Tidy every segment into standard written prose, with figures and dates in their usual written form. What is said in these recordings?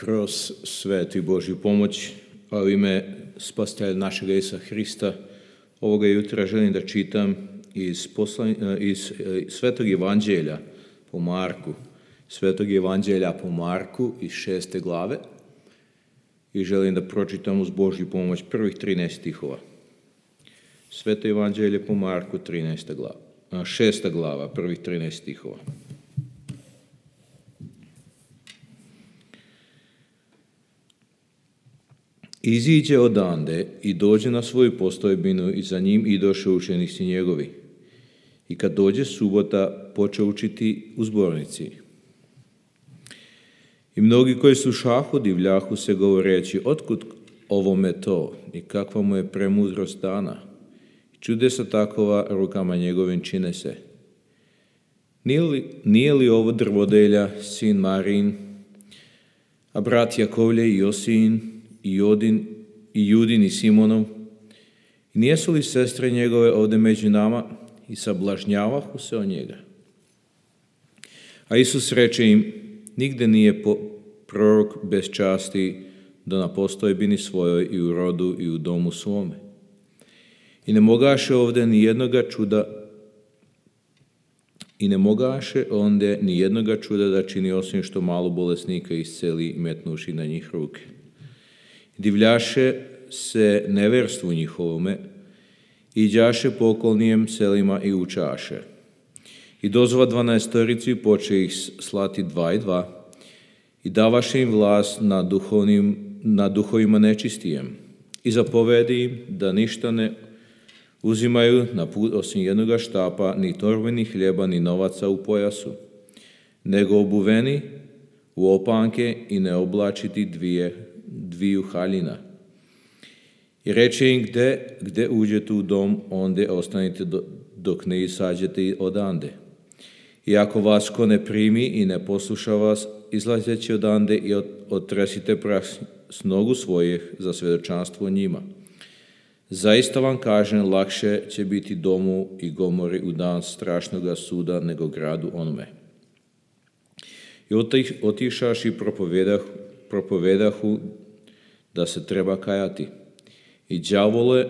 kroz svetu i Božju pomoć, a u ime Spasitelja našega Isusa Hrista, ovoga jutra želim da čitam iz Svetog Evanđelja po Marku. Svetog Evanđelja po Marku iz 6. glave i želim da pročitam uz Božju pomoć prvih 13 stihova. Sveto Evanđelje po Marku, 6. glava, prvih 13 stihova. Iziđe odande i dođe na svoju postojbinu i za njim idoše učenici njegovi. I kad dođe subota, počeo učiti u zbornici. I mnogi koji slušahu divljahu se govoreći, otkud ovome to i kakva mu je premudrost dana. I čudesa takova rukama njegovim čine se. Nije li ovo drvodelja, sin Marin, a brat Jakovlje i Josin, i Judin i Simonov? I nijesu li sestre njegove ovdje među nama? I sablažnjavahu se o njega. A Isus reče im, nigde nije prorok bez časti do na postojbini svojoj i u rodu i u domu svome. I ne mogaše ovdje ni jednoga čuda da čini osim što malo bolesnika isceli metnuši na njih ruke. Divljaše se neverstvu njihovome, iđaše po okolnijem selima i učaše. I dozva 12 i poče ih slati 2 i 2 i davaše im vlast na duhovima nečistijem i zapovedi im da ništa ne uzimaju na put osim jednoga štapa, ni torbe, ni hljeba, ni novaca u pojasu, nego obuveni u opanke i ne oblačiti dviju haljina. I reče im, gde uđete u dom, onde ostanite dok ne izađete odande. I ako vas ko ne primi i ne posluša vas, izlazeći odande i otresite prah s nogu svojih za svjedočanstvo njima. Zaista vam kažem, lakše će biti domu i Gomori u dan strašnoga suda nego gradu onome. I otišaši propovedahu da se treba kajati. I đavole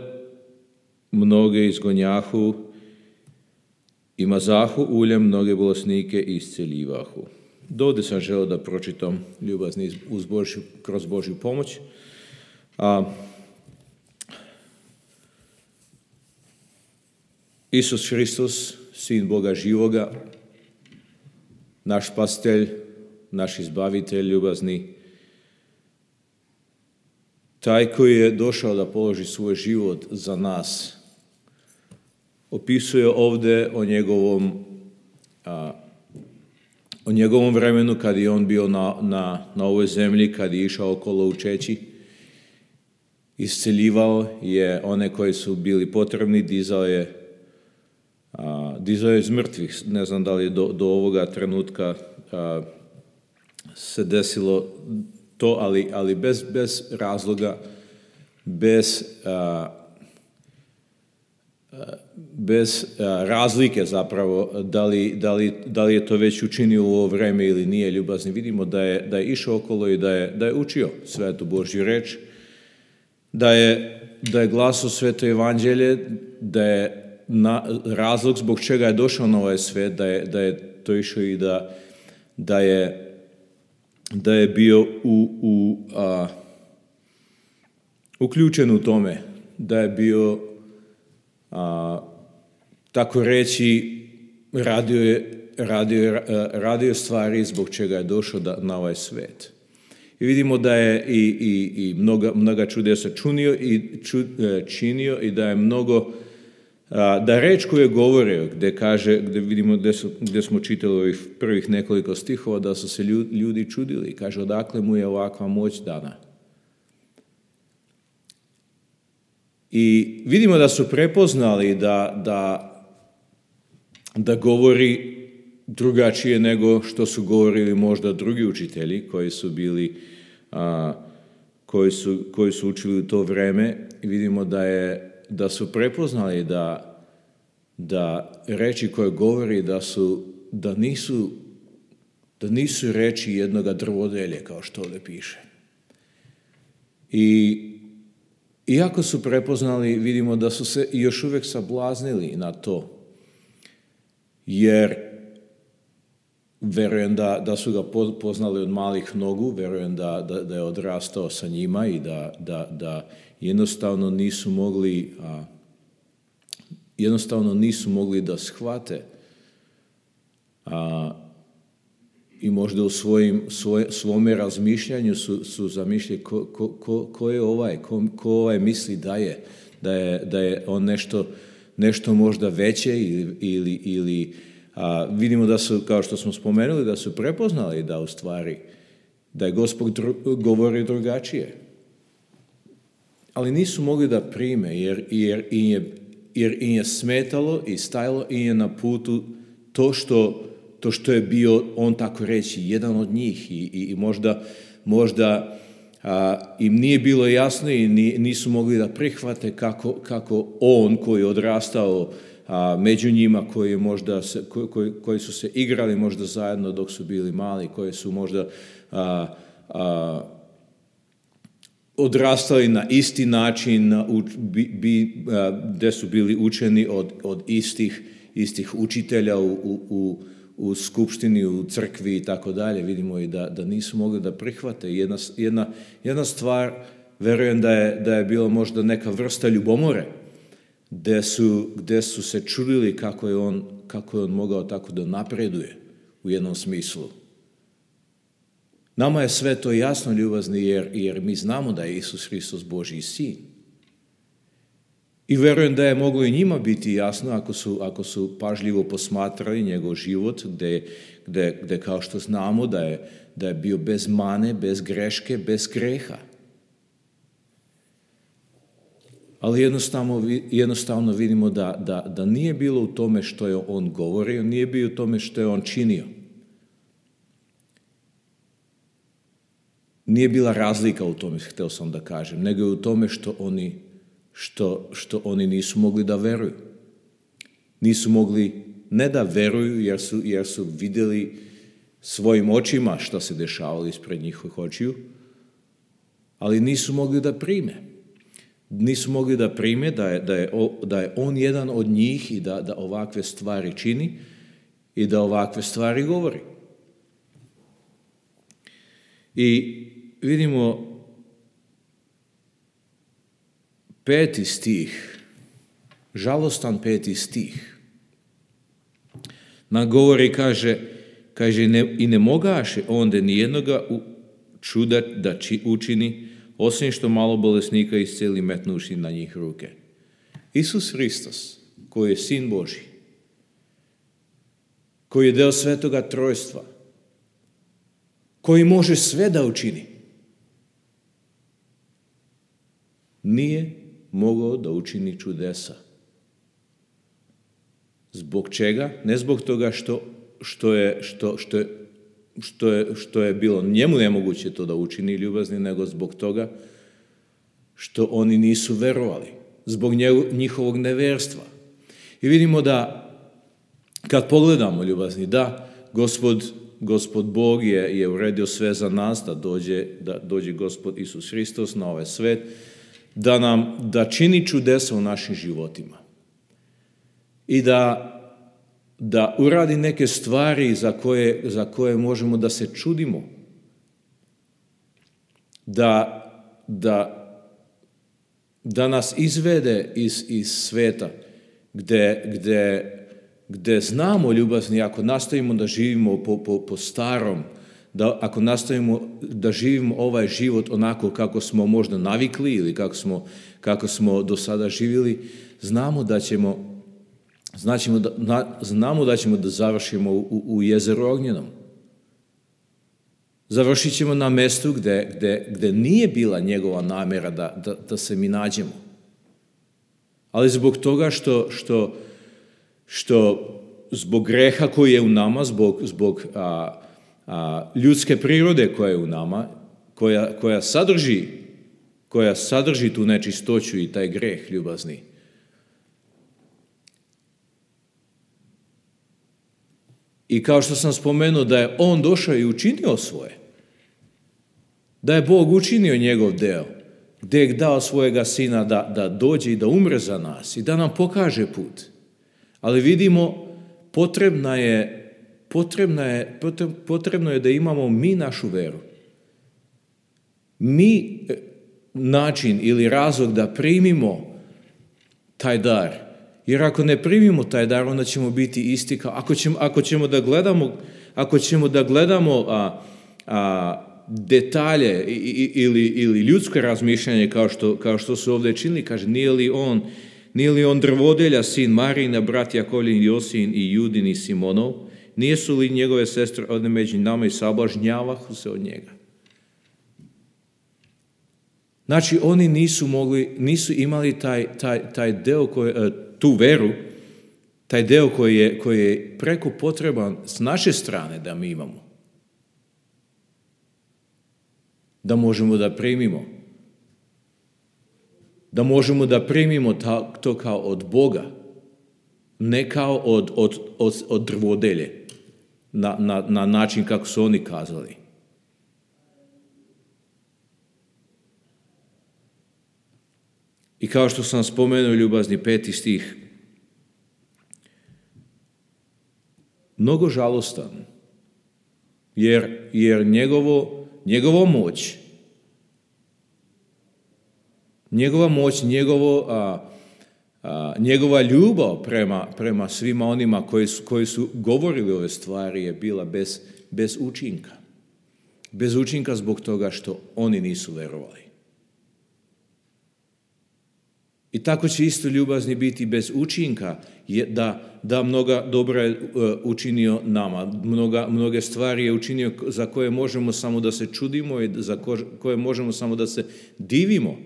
mnoge izgonjahu i mazahu uljem mnoge bolesnike i isceljivahu. Dovde sam želeo da pročitam, ljubazni, kroz Božju pomoć. Isus Hristos, Sin Boga živoga, naš Spasitelj, naš Izbavitelj ljubazni, taj koji je došao da položi svoj život za nas, opisuje ovdje o njegovom vremenu kad je on bio na ovoj zemlji, kad je išao okolo učeći, isceljivao je one koji su bili potrebni, dizao je iz mrtvih. Ne znam da li do ovoga trenutka se desilo to, ali bez razloga, bez razlike zapravo, da li je to već učinio u ovo vreme ili nije, ljubazni. Vidimo da je išao okolo i da je učio svetu Božju reč, da je glasao sveto evanđelje, da je razlog zbog čega je došao na ovaj svet, da je to išao i da je bio uključen u tome, da je bio tako reći radio stvari zbog čega je došao na ovaj svet. I vidimo da je i mnoga čudesa činio i da je mnogo, da reč koju je govorio, gdje vidimo gdje smo čitali ovih prvih nekoliko stihova, da su se ljudi čudili. Kaže, odakle mu je ovakva moć dana. I vidimo da su prepoznali da govori drugačije nego što su govorili možda drugi učitelji koji su bili, koji su učili u to vreme. I vidimo da su prepoznali da reči koje govori da nisu da nisu reči jednoga drvodelje, kao što ovdje piše. I iako su prepoznali, vidimo da su se još uvijek sablaznili na to, jer verujem da su ga poznali od malih nogu, verujem da je odrastao sa njima i da jednostavno nisu mogli da shvate i možda u svome razmišljanju su zamišljali ko je ovaj, ko ovaj misli da je on nešto možda veće ili vidimo da su, kao što smo spomenuli, da su prepoznali da u stvari da je Gospod govori drugačije. Ali nisu mogli da prime jer im je smetalo i stajalo im je na putu to što je bio, on tako reći, jedan od njih i možda im nije bilo jasno i nisu mogli da prihvate kako on koji je odrastao među njima, koji su se igrali možda zajedno dok su bili mali, koji su možda odrastali na isti način, gdje su bili učeni od istih učitelja u skupštini, u crkvi i tako dalje. Vidimo i da nisu mogli da prihvate. Jedna stvar, verujem da je bila možda neka vrsta ljubomore, gdje su se čudili kako je on mogao tako da napreduje u jednom smislu. Nama je sve to jasno, ljubazni, jer mi znamo da je Isus Hristos Božji sin. I verujem da je moglo i njima biti jasno ako su pažljivo posmatrali njegov život, gdje kao što znamo da je bio bez mane, bez greške, bez greha. Ali jednostavno vidimo da nije bilo u tome što je on govorio, nije bio u tome što je on činio. Nije bila razlika u tome, htio sam da kažem, nego je u tome što oni nisu mogli da veruju. Nisu mogli ne da veruju jer su vidjeli svojim očima što se dešavalo ispred njihovih očiju, ali nisu mogli da prime. Nisu mogli da prime da je on jedan od njih i da ovakve stvari čini i da ovakve stvari govori. I vidimo 5. stih, žalostan 5. stih. Nam govori, kaže i ne mogaše onda nijednoga čuda da učini, osim što malo bolesnika isceli metnuši na njih ruke. Isus Hristos, koji je sin Božji, koji je deo Svetoga Trojstva, koji može sve da učini, nije mogao da učini čudesa. Zbog čega? Ne zbog toga što je bilo njemu nemoguće to da učini, ljubazni, nego zbog toga što oni nisu verovali, zbog njihovog neverstva. I vidimo da kad pogledamo, ljubazni, da Gospod Bog je uredio sve za nas, da dođe Gospod Isus Hristos na ovaj svet, da čini čudesa u našim životima i da uradi neke stvari za koje možemo da se čudimo, da nas izvede iz sveta gdje znamo, ljubazni, ako nastavimo da živimo po starom, ako nastavimo da živimo ovaj život onako kako smo možda navikli ili kako smo do sada živjeli, znamo da ćemo da završimo u jezeru ognjenom. Završit ćemo na mjestu gdje nije bila njegova namjera da se mi nađemo. Ali zbog toga što zbog greha koji je u nama, zbog ljudske prirode koja je u nama, koja sadrži tu nečistoću i taj greh, ljubazni, I kao što sam spomenuo da je on došao i učinio svoje. Da je Bog učinio njegov deo. Gdje je dao svojega sina da dođe i da umre za nas i da nam pokaže put. Ali vidimo, potrebno je da imamo mi našu veru. Mi način ili razlog da primimo taj dar. Jer ako ne primimo taj dar, onda ćemo biti isti kao, ako ćemo da gledamo detalje ili ljudsko razmišljanje kao što su ovdje činili, kaže, nije li on drvodelja, sin Marina, brat Jakovlin, Josin i Judin i Simonov, nisu li njegove sestre odne među nama i sablažnjavahu se od njega. Znači, oni nisu imali taj deo, tu veru, taj deo koji je preko potreban s naše strane da mi imamo. Da možemo da primimo. Da možemo da primimo to kao od Boga, ne kao od drvodelje, na način kako su oni kazali. I kao što sam spomenuo, ljubazni 5. stih, mnogo žalostan, jer njegova moć, njegova ljubav prema svima onima koji su govorili ove stvari je bila bez učinka. Bez učinka zbog toga što oni nisu verovali. I tako će isto ljubazni biti bez učinka, da mnoga dobra je učinio nama, mnoge stvari je učinio za koje možemo samo da se čudimo i za koje možemo samo da se divimo,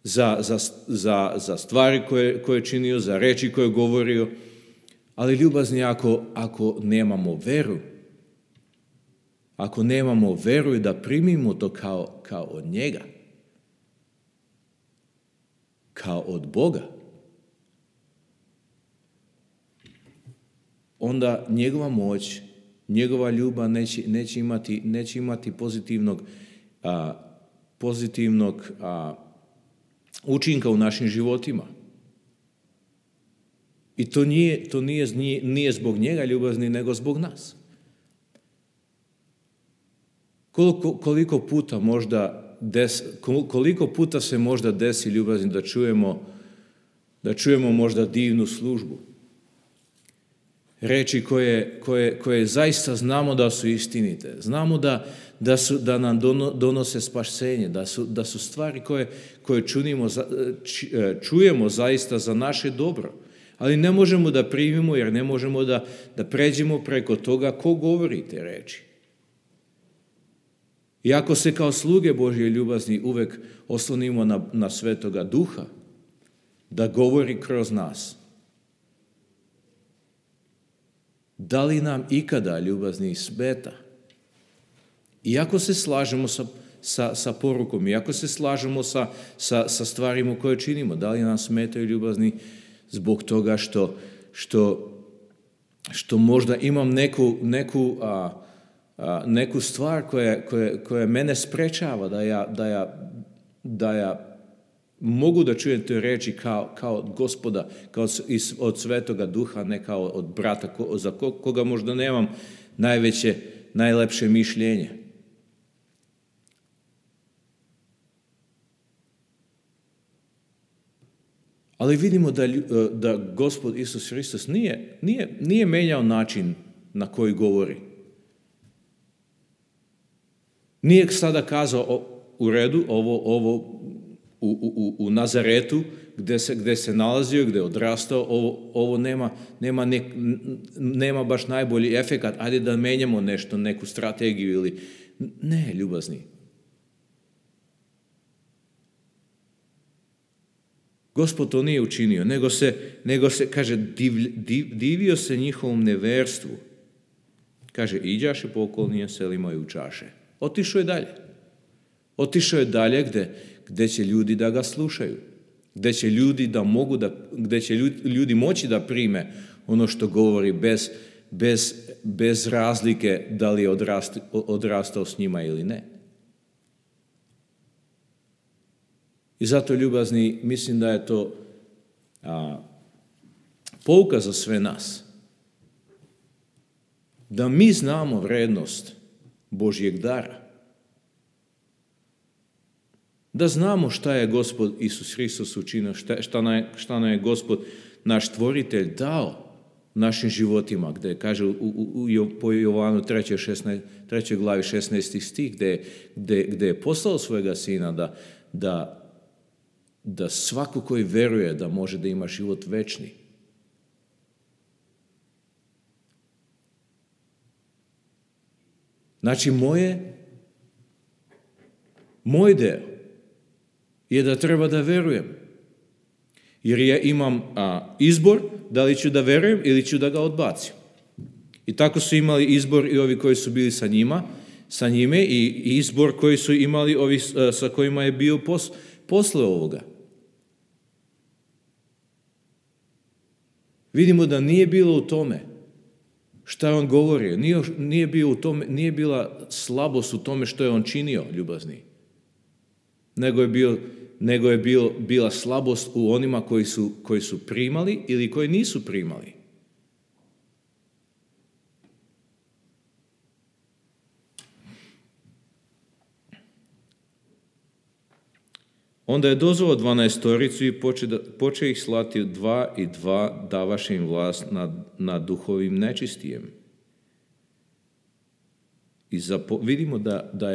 za stvari koje je činio, za reči koje je govorio, ali ljubazni ako nemamo veru i da primimo to kao od njega, kao od Boga, onda njegova moć, njegova ljubav neće imati pozitivnog učinka u našim životima. I to nije zbog njega ljubazni, nego zbog nas. Koliko puta se možda desi ljubazni da čujemo možda divnu službu. Reči koje zaista znamo da su istinite. Znamo da nam donose spasenje, da su stvari koje čujemo zaista za naše dobro. Ali ne možemo da primimo jer ne možemo da pređemo preko toga ko govori te reči. Iako se kao sluge Božje ljubazni uvek oslonimo na Svetoga Duha, da govori kroz nas. Da li nam ikada ljubazni smeta? Iako se slažemo sa porukom, iako se slažemo sa stvarima koje činimo, da li nam smetaju ljubazni zbog toga što možda imam neku stvar koja mene sprečava da ja mogu da čujem te reči kao od Gospoda, kao od Svetoga Duha, ne kao od brata za koga možda nemam najlepše mišljenje. Ali vidimo da Gospod Isus Hristos nije menjao način na koji govori. Nije sada kazao u redu, ovo u Nazaretu, gdje se nalazio, gdje je odrastao, ovo nema baš najbolji efekat, ajde da menjamo nešto, neku strategiju ili... Ne, ljubazni. Gospod to nije učinio, nego se kaže, divio se njihovom neverstvu. Kaže, iđaše po okolnim selima i učaše. Otišao je dalje gdje će ljudi da ga slušaju, gdje će ljudi moći da prime ono što govori bez razlike da li je odrastao s njima ili ne. I zato, ljubazni, mislim da je to pouka za sve nas. Da mi znamo vrednost Božjeg dara. Da znamo šta je Gospod Isus Hristos učinio, šta nam je Gospod, naš Stvoritelj, dao našim životima, gdje kaže po Jovanu 3. glavi 16. stih, gdje je poslao svojega sina da svako koji veruje da može da ima život večni. Znači, moj deo je da treba da verujem. Jer ja imam izbor da li ću da verujem ili ću da ga odbacim. I tako su imali izbor i ovi koji su bili sa njime i izbor koji su imali ovi sa kojima je bio posle ovoga. Vidimo da nije bilo u tome šta je on govorio. Nije bila slabost u tome što je on činio, ljubazni. Nego je bila slabost u onima koji su primali ili koji nisu primali. Onda je dozvao 12 i poče ih slati 2 i 2, davaše im vlast nad duhovim nečistijem. I vidimo da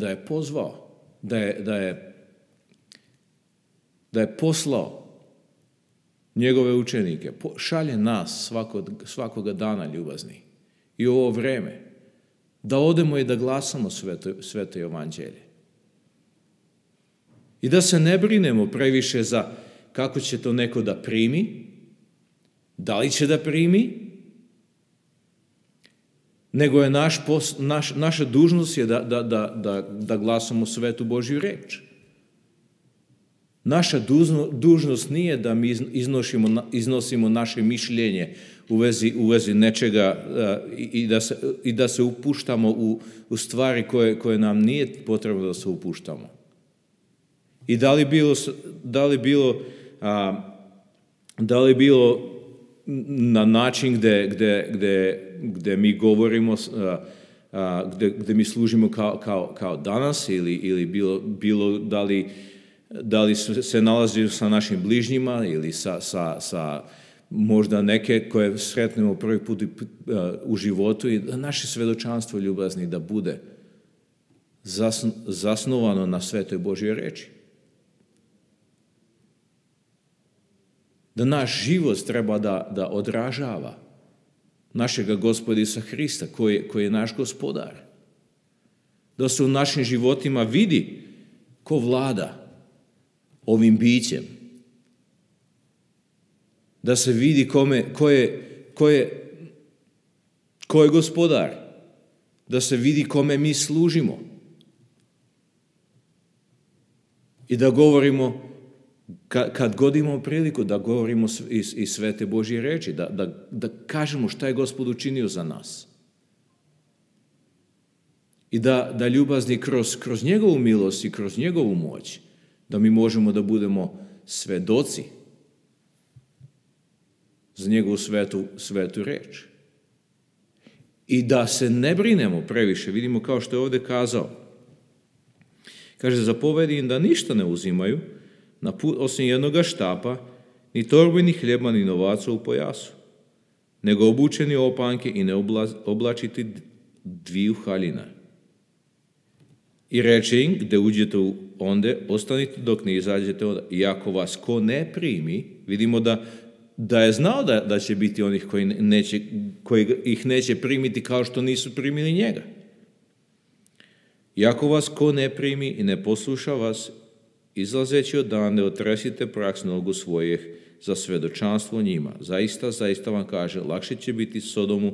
je pozvao, da je poslao njegove učenike, šalje nas svakoga dana, ljubazni, i u ovo vreme, da odemo i da glasamo sveto evanđelje. I da se ne brinemo previše za kako će to neko da primi, da li će da primi, nego je naša dužnost je da glasamo svetu Božju reč. Naša dužnost nije da mi iznosimo naše mišljenje u vezi nečega i da se upuštamo u stvari koje nam nije potrebno da se upuštamo. I da li bilo na način gdje mi govorimo, gdje mi služimo kao danas, ili bilo da li se nalazi sa našim bližnjima ili sa možda neke koje sretnemo prvi put u životu, i naše svedočanstvo, ljubazni, da bude zasnovano na svetoj Božjoj reči. Da naš život treba da odražava našega Gospoda Isusa Hrista, koji je naš gospodar. Da se u našim životima vidi ko vlada ovim bićem. Da se vidi ko je gospodar. Da se vidi kome mi služimo. I da govorimo, kad god imamo priliku, da govorimo iz svete Božje reči, da kažemo šta je Gospod učinio za nas. I da ljubazni kroz njegovu milost i kroz njegovu moć, da mi možemo da budemo svedoci za njegovu svetu reč. I da se ne brinemo previše, vidimo kao što je ovdje kazao. Kaže, zapovedi im da ništa ne uzimaju, na put osim jednoga štapa, ni torbe, ni hljeba, ni novaca u pojasu, nego obučeni opanke i ne oblačiti 2 haljina. I reče im, gde uđete onde, ostanite dok ne izađete onda. I ako vas ko ne primi, vidimo da je znao da će biti onih koji ih neće primiti kao što nisu primili njega. I ako vas ko ne primi i ne posluša vas, izlazeći odande, otresite prah s nogu svojih za svedočanstvo njima. Zaista vam kaže, lakše će biti Sodomu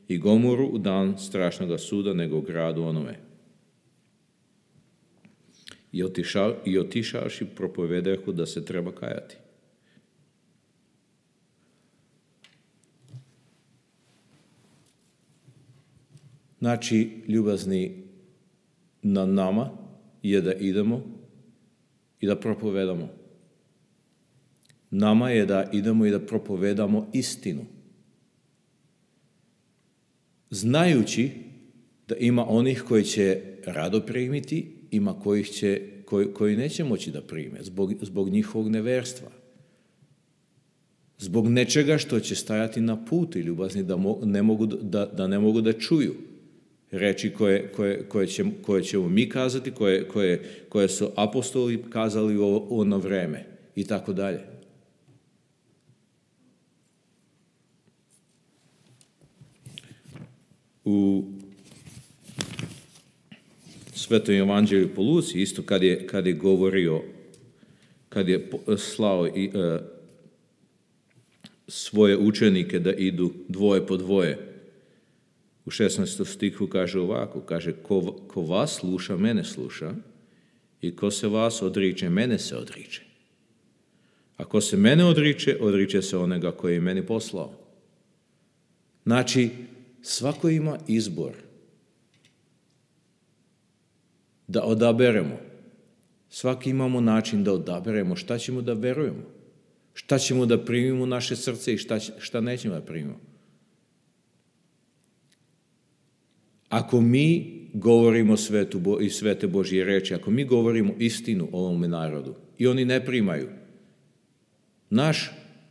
i Gomoru u dan strašnog suda nego gradu onome. I otišavši propovedahu da se treba kajati. Znači, ljubazni, na nama je da idemo i da propovedamo. Nama je da idemo i da propovedamo istinu. Znajući da ima onih koji će rado primiti, ima koji neće moći da prime zbog njihovog neverstva. Zbog nečega što će stajati na putu, ljubazni, da ne mogu da čuju reči koje ćemo mi kazati, koje su apostoli kazali u ono vreme i tako dalje. U Svetom evanđelju po Luci, isto kad je govorio, kad je slao svoje učenike da idu dvoje po dvoje, u 16. stihu kaže ovako, kaže, ko vas sluša, mene sluša, i ko se vas odriče, mene se odriče. A ko se mene odriče se onega koji je meni poslao. Znači, svako ima izbor da odaberemo. Svaki imamo način da odaberemo šta ćemo da verujemo, šta ćemo da primimo u naše srce i šta nećemo da primimo. Ako mi govorimo svete Božje reči, ako mi govorimo istinu ovome narodu i oni ne primaju,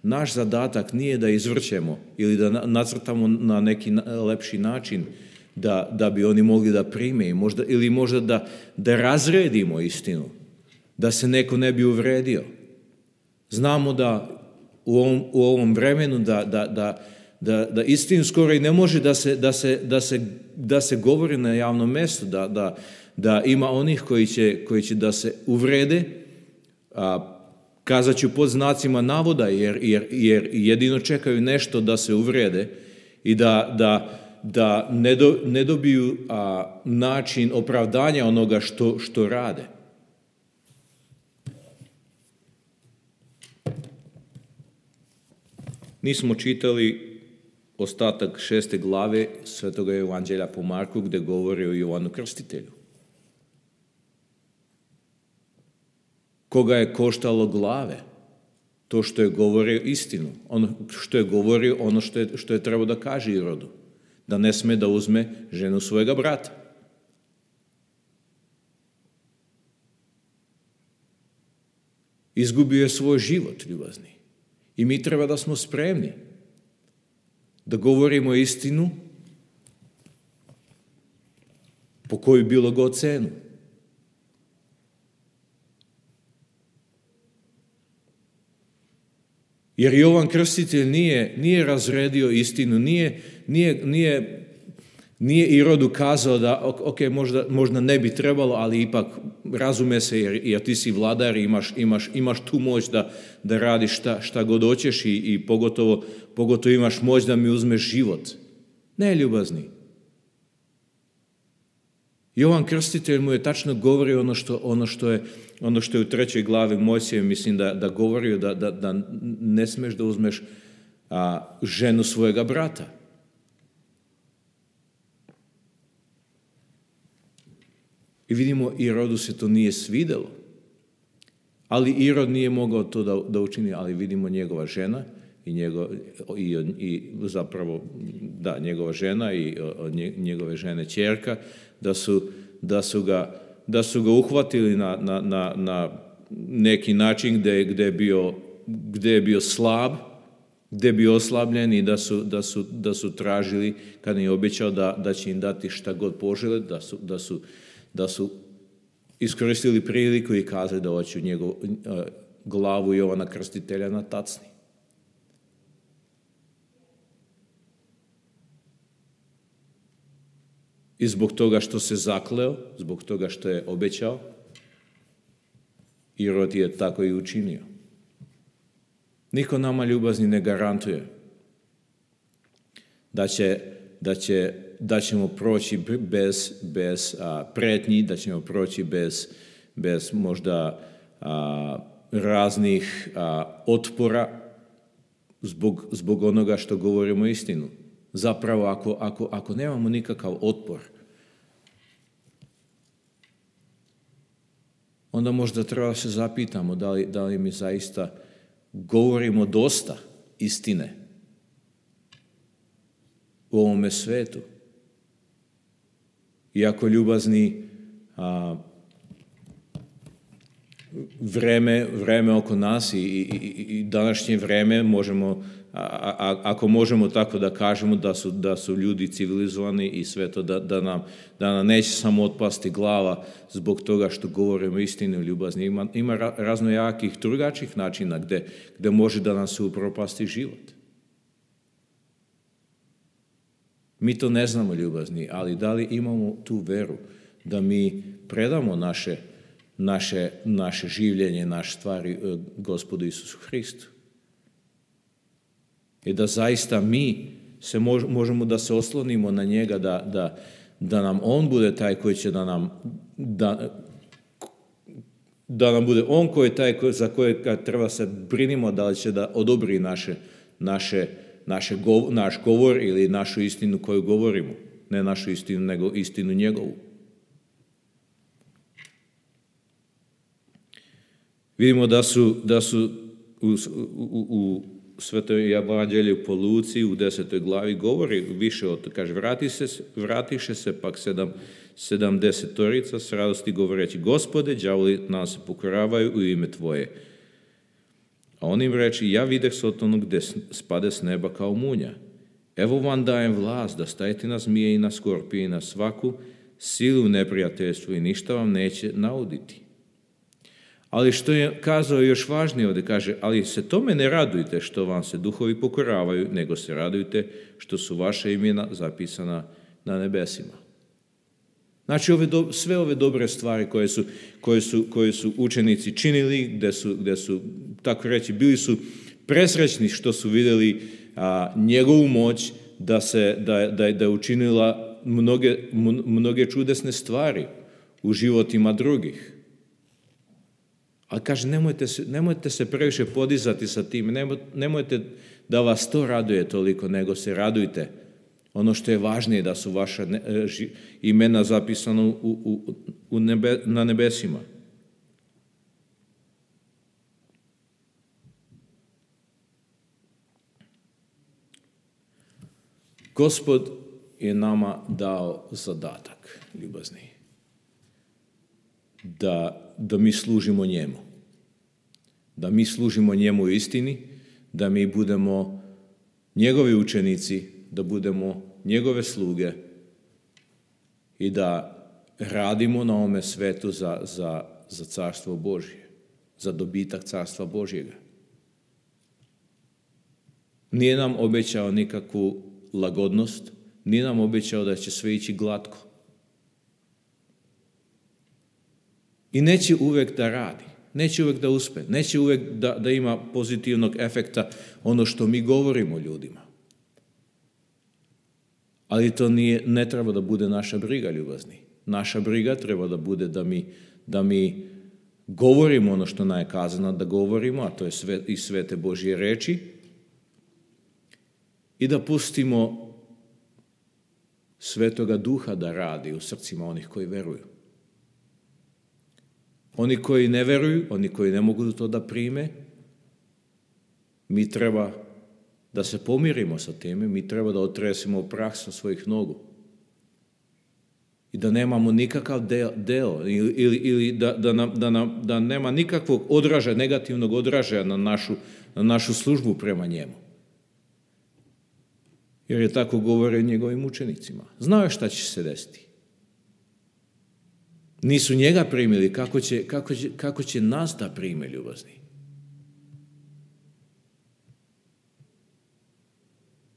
naš zadatak nije da izvrćemo ili da nacrtamo na neki lepši način da bi oni mogli da prime ili možda da razredimo istinu, da se neko ne bi uvredio. Znamo da u ovom vremenu da istinu skoro i ne može da se govori na javnom mjestu, da ima onih koji će da se uvrede, kazat ću pod znacima navoda, jer jedino čekaju nešto da se uvrede i da ne dobiju način opravdanja onoga što rade. Nismo čitali ostatak 6. glave Svetoga evanđelja po Marku, gde govori o Jovanu Krstitelju. Koga je koštalo glave? To što je govorio istinu, što je govorio ono što je trebao da kaže Irodu, da ne sme da uzme ženu svojega brata. Izgubio je svoj život, ljubazni. I mi treba da smo spremni da govorimo istinu po koju bilo god cenu. Jer Jovan Krstitelj nije razredio istinu, nije Irodu kazao da ok, možda ne bi trebalo, ali ipak razume se jer ti si vladar i imaš tu moć da radiš šta god hoćeš i pogotovo imaš moć da mi uzmeš život. Ne, ljubazni. Jovan Krstitelj mu je tačno govorio ono što je u 3. glavi Mojsije, mislim da govorio da ne smeš da uzmeš ženu svojega brata. I vidimo, Irodu se to nije svidelo. Ali Irod nije mogao to da učini, ali vidimo njegova žena njegova žena i njegove žene ćerka, da su ga uhvatili na neki način gde je bio slab, gde je bio oslabljen i da su tražili, kad je obećao da će im dati šta god požele, da su iskoristili priliku i kazali da hoću glavu Jovana Krstitelja na tacni. I zbog toga što se zakleo, zbog toga što je obećao, Irod je tako i učinio. Niko nama, ljubazni, ne garantuje da ćemo proći bez pretnji, da ćemo proći bez možda raznih otpora zbog onoga što govorimo istinu. Zapravo, ako nemamo nikakav otpor, onda možda treba se zapitamo da li mi zaista govorimo dosta istine u ovome svetu. Iako ljubazni, vreme oko nas i današnje vreme možemo, ako možemo tako da kažemo da su ljudi civilizovani i sve to, da nam neće samo otpasti glava zbog toga što govorimo istinu ljubazni. Ima raznojakih drugačijih načina gde može da nam se upropasti život. Mi to ne znamo, ljubazni, ali da li imamo tu veru da mi predamo naše življenje, naše stvari Gospodu Isusu Hristu? I da zaista mi možemo da se oslonimo na njega, da nam on bude taj koji će da nam bude on koji je taj za kojeg treba se brinimo da li će da odobri naš govor ili našu istinu koju govorimo. Ne našu istinu, nego istinu njegovu. Vidimo da su u Svetoj evanđelju po Luci u 10. glavi govori više o to. Kaže, vratiše se pak 70 s radosti govoreći, Gospode, đavoli nam se pokoravaju u ime Tvoje. A on im reči, ja videh Sotonu gde spade s neba kao munja. Evo vam dajem vlast da stajete na zmije i na skorpije i na svaku silu neprijateljstvu i ništa vam neće nauditi. Ali što je kazao još važnije ovdje, kaže, ali se tome ne radujte što vam se duhovi pokoravaju, nego se radujte što su vaša imena zapisana na nebesima. Znači, sve ove dobre stvari koje su učenici činili, gde su, tako reći, bili su presrećni što su vidjeli njegovu moć da je učinila mnoge čudesne stvari u životima drugih. Ali kaže, nemojte se previše podizati sa tim, nemojte da vas to raduje toliko, nego se radujte. Ono što je važnije, da su vaša imena zapisana na nebesima. Gospod je nama dao zadatak, ljubazni, da mi služimo njemu. Da mi služimo njemu u istini, da mi budemo njegovi učenici, da budemo njegove sluge i da radimo na ovome svetu za carstvo Božje, za dobitak carstva Božjega. Nije nam obećao nikakvu lagodnost, nije nam obećao da će sve ići glatko. I neće uvek da radi, neće uvek da uspe, neće uvek da ima pozitivnog efekta ono što mi govorimo ljudima. Ali to ne treba da bude naša briga, ljubazni. Naša briga treba da bude da mi govorimo ono što nam je kazano da govorimo, a to je iz svete Božje reči, i da pustimo Svetoga Duha da radi u srcima onih koji veruju. Oni koji ne veruju, oni koji ne mogu to da prime, mi treba da se pomirimo sa time, mi treba da otresimo prah sa svojih nogu. I da nemamo nikakav deo ili da nema nikakvog negativnog odražaja na našu službu prema njemu. Jer je tako govorio njegovim učenicima. Znao je šta će se desiti. Nisu njega primili, kako će nas da prime, ljubazni.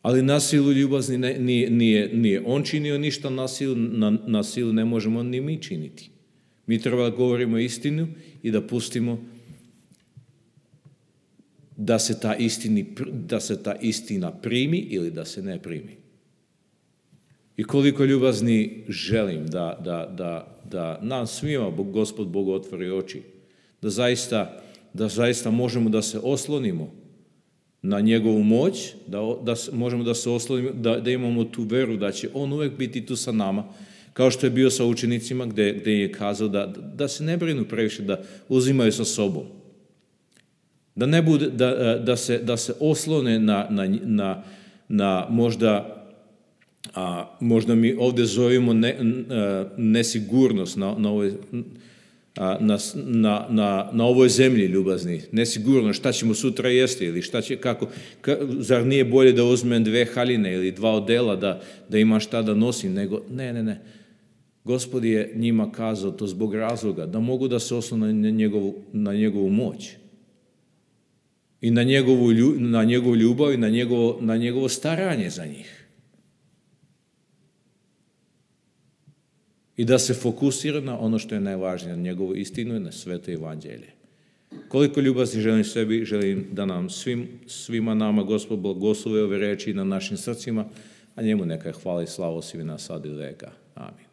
Ali na silu, ljubazni, nije on činio ništa na silu ne možemo ni mi činiti. Mi treba da govorimo istinu i da pustimo da se ta istina primi ili da se ne primi. I koliko, ljubazni, želim da nam svima Gospod Bog otvori oči, da zaista možemo da se oslonimo na njegovu moć, da možemo da se oslonimo, da imamo tu veru da će on uvek biti tu sa nama, kao što je bio sa učenicima gde je kazao da se ne brinu previše, da uzimaju sa sobom. Da ne bude, da se oslone na možda mi ovde zovemo nesigurnost na ovoj zemlji, ljubazni. Nesigurno šta ćemo sutra jesti ili šta će, kako, zar nije bolje da uzmem 2 haljine ili 2 odela da imam šta da nosim, nego ne. Gospod je njima kazao to zbog razloga, da mogu da se oslone na njegovu moć i na njegovu ljubav i na njegovo staranje za njih. I da se fokusira na ono što je najvažnije, na njegovu istinu i na sveto evanđelje. Koliko ljubazni želim sebi, želim da nam svima nama Gospod blagoslovi ove reči na našim srcima, a njemu neka je hvala i slava svima sad i veka. Amin.